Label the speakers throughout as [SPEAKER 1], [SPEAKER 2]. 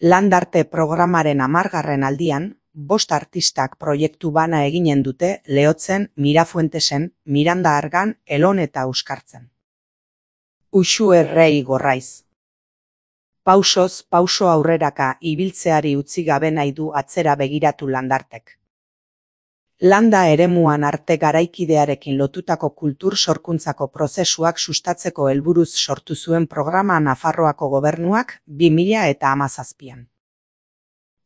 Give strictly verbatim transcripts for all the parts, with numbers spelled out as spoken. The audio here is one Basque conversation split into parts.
[SPEAKER 1] Landarte programaren hamargarren aldian, bost artistak proiektu bana eginen dute Lehotzen, Mirafuentesen, Miranda Argan, Elon eta Euskartzen. Uxu errei gorraiz. Pausoz, pauso aurreraka ibiltzeari utzi gabe nahi du atzera begiratu Landartek. Landa eremuan arte garaikidearekin lotutako kultur sorkuntzako prozesuak sustatzeko helburuz sortu zuen programa Nafarroako gobernuak bi mila eta hamazazpian.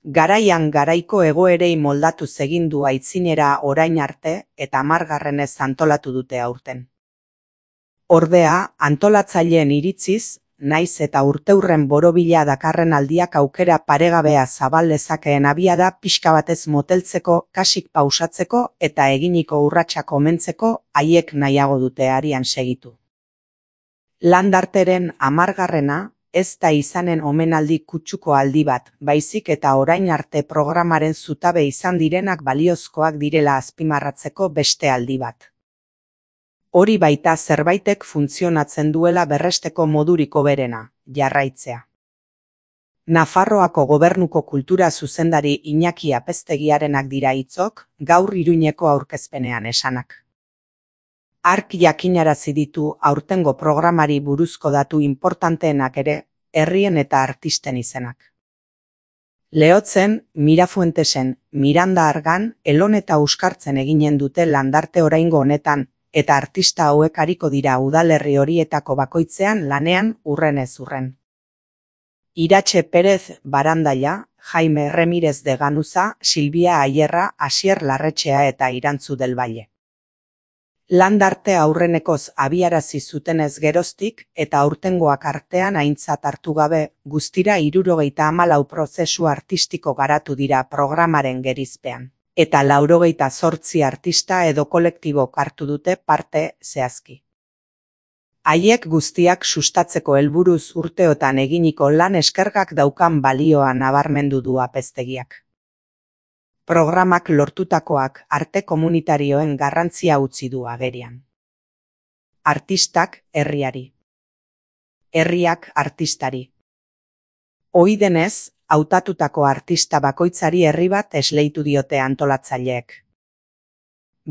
[SPEAKER 1] Garaian garaiko egoerei moldatu egin du aitzinera orain arte eta hamargarrenez antolatu dute aurten. Ordea, antolatzaileen iritziz, naiz eta urteurren borobila dakarren aldiak aukera paregabea zabal lezakeen abiada pixka batez moteltzeko, kasik pausatzeko eta eginiko urratsak omentzeko haiek nahiago dute arian segitu. Landarteren hamargarrena ez da izanen omenaldi kutsuko aldi bat, baizik eta orain arte programaren zutabe izan direnak baliozkoak direla azpimarratzeko beste aldi bat. Hori baita zerbaitek funtzionatzen duela berresteko modurik hoberena, jarraitzea. Nafarroako gobernuko kultura zuzendari Iñaki Apeztegiarenak dira hitzok, gaur Iruñeko aurkezpenean esanak. Hark jakinarazi ditu aurtengo programari buruzko datu inportanteenak ere, herrien eta artisten izenak. Lehotzen, Mirafuentesen, Miranda Argan, Elon eta Euskartzen eginen dute Landarte oraingo honetan, eta artista hauek ariko dira udalerri horietako bakoitzean lanean urrenez urren. Iratxe Perez Barandaia, Jaime Remirez de Ganuza, Silvia Ayerra, Asier Larretxea eta Irantzu del Valle. Landarte aurrenekoz abiarazi zutenez geroztik eta aurtengoak artean aintzat hartu gabe, guztira hirurogeita hamalau prozesu artistiko garatu dira programaren gerizpean. Eta laurogeita zortzi artista edo kolektibok hartu dute parte zehazki. Haiek guztiak sustatzeko helburuz urteotan eginiko lan eskergak daukan balioa nabarmendu du Apeztegiak. Programak lortutakoak arte komunitarioen garrantzia utzi du agerian. Artistak herriari. Herriak artistari. Ohi denez, hautatutako artista bakoitzari herri bat esleitu diote antolatzaileek.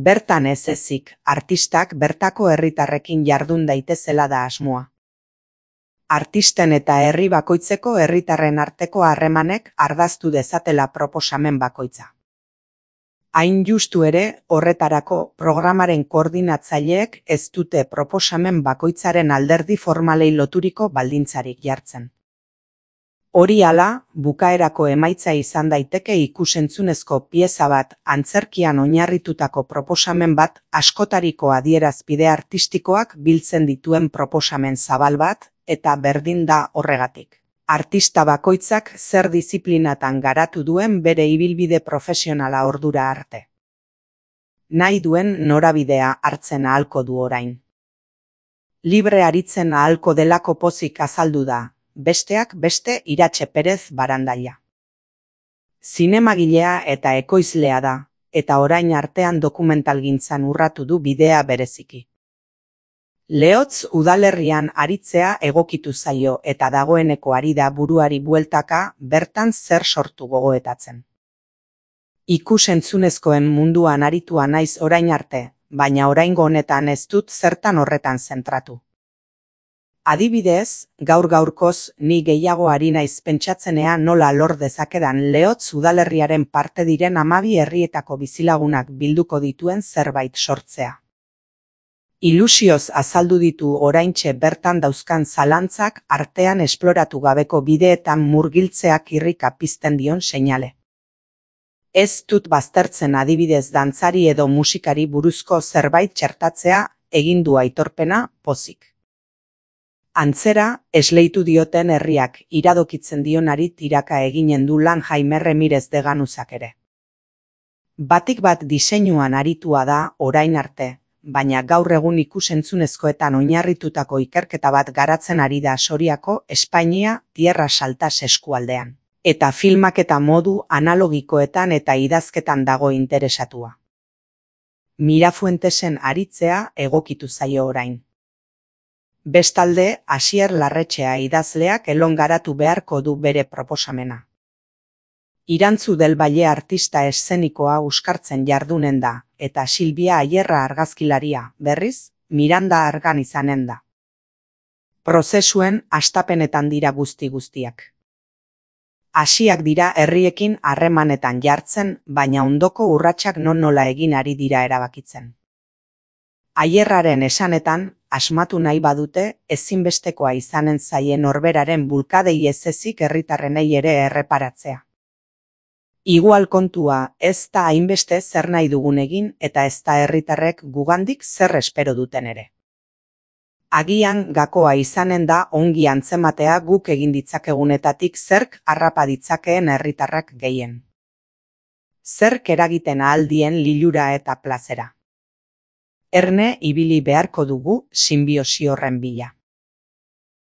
[SPEAKER 1] Bertan ez ezik, artistak bertako herritarrekin jardun daitezela da asmoa. Artisten eta herri bakoitzeko herritarren arteko harremanek ardaztu dezatela proposamen bakoitza. Hain justu ere, horretarako programaren koordinatzaileek ez dute proposamen bakoitzaren alderdi formalei loturiko baldintzarik jartzen. Hori hala, bukaerako emaitza izan daiteke ikusentzunezko pieza bat, antzerkian oinarritutako proposamen bat, askotariko adierazpide artistikoak biltzen dituen proposamen zabal bat, eta berdin da horregatik. Artista bakoitzak zer disiplinatan garatu duen bere ibilbide profesionala ordura arte. Nahi duen norabidea hartzen ahalko du orain. Libre aritzen ahalko delako pozik azaldu da. Besteak beste Iratxe Perez Barandaia. Zinemagilea eta ekoizlea da, eta orain artean dokumentalgintzan urratu du bidea bereziki. Lehotz udalerrian aritzea egokitu zaio eta dagoeneko ari da buruari bueltaka bertan zer sortu gogoetatzen. Ikus-entzunezkoen munduan aritua naiz orain arte, baina oraingo honetan ez dut zertan horretan zentratu. Adibidez, gaur gaurkoz ni gehiago ari naiz pentsatzenean nola lor dezakedan Lehotz udalerriaren parte diren hamabi herrietako bizilagunak bilduko dituen zerbait sortzea. Ilusioz azaldu ditu oraintxe bertan dauzkan zalantzak artean esploratu gabeko bideetan murgiltzeak irrika pizten dion seinale. Ez dut baztertzen adibidez dantzari edo musikari buruzko zerbait txertatzea egin du aitorpena pozik. Antzera, esleitu dioten herriak iradokitzen dionari tiraka eginen du lan Jaime Remirez de Ganuzak ere. Batik bat diseinuan aritua da orain arte, baina gaur egun ikusentzunezkoetan oinarritutako ikerketa bat garatzen ari da Soriako, Espainia, Tierra Saltas eskualdean. Eta filmaketa modu analogikoetan eta idazketan dago interesatua. Mirafuentesen aritzea egokitu zaio orain. Bestalde, Asier Larretxea idazleak Elon garatu beharko du bere proposamena. Irantzu del Valle artista eszenikoa euskartzen jardunen da, eta Silvia Ayerra argazkilaria, berriz, Miranda Argan izanen da. Prozesuen hastapenetan dira guzti guztiak. Hasiak dira herriekin harremanetan jartzen, baina ondoko urratsak non nola egin ari dira erabakitzen. Ayerraren esanetan, asmatu nahi badute, ezinbestekoa izanen zaien norberaren bulkadei ez ezik herritarrenei ere erreparatzea. Igual kontua ez da hainbeste zer nahi dugun egin eta ez da herritarrek gugandik zer espero duten ere. Agian gakoa izanen da ongi antzematea guk egin ditzakegunetatik zerk harrapa ditzakeen herritarrak gehien. Zerk eragiten ahaldien lilura eta plazera. Erne ibili beharko dugu sinbiosi horren bila.